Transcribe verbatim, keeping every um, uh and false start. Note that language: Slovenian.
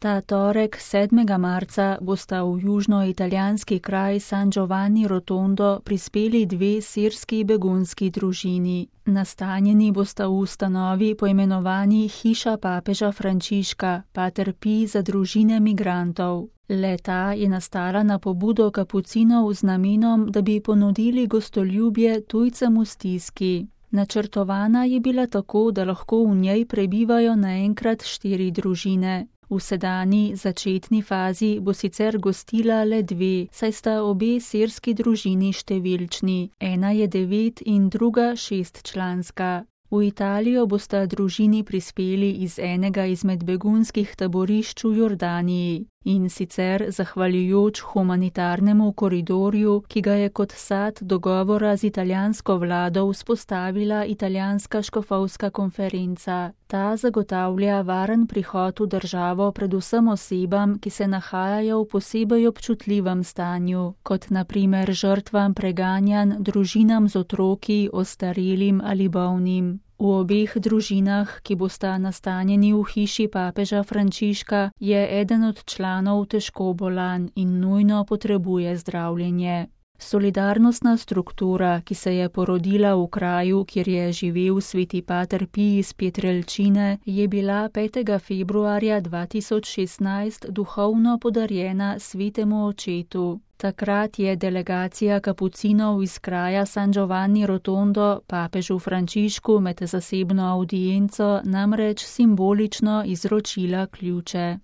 Ta torek, sedmega marca, bosta v južnoitalijanski kraj San Giovanni Rotondo prispeli dve sirski begunski družini. Nastanjeni bosta v ustanovi poimenovani Hiša papeža Frančiška, Pater Pij za družine migrantov. Le-ta je nastala na pobudo kapucinov z namenom, da bi ponudili gostoljubje tujcem v stiski. Načrtovana je bila tako, da lahko v njej prebivajo naenkrat štiri družine. V sedanji začetni fazi bo sicer gostila le dve, saj sta obe sirski družini številčni, ena je devet in druga šestčlanska. V Italijo bosta družini prispeli iz enega izmed begunskih taborišč v Jordaniji, in sicer zahvaljujoč humanitarnemu koridorju, ki ga je kot sad dogovora z italijansko vlado vzpostavila italijanska škofovska konferenca. Ta zagotavlja varen prihod v državo predvsem osebam, ki se nahajajo v posebej občutljivem stanju, kot na primer žrtvam preganjanj, družinam z otroki, ostarelim ali bolnim. V obeh družinah, ki bosta nastanjeni v hiši papeža Frančiška, je eden od članov težko bolan in nujno potrebuje zdravljenje. Solidarnostna struktura, ki se je porodila v kraju, kjer je živel sveti Pater Pij iz Pietrelcine, je bila petega februarja dva tisoč šestnajst duhovno podarjena svetemu očetu. Takrat je delegacija kapucinov iz kraja San Giovanni Rotondo papežu Frančišku med zasebno avdienco namreč simbolično izročila ključe.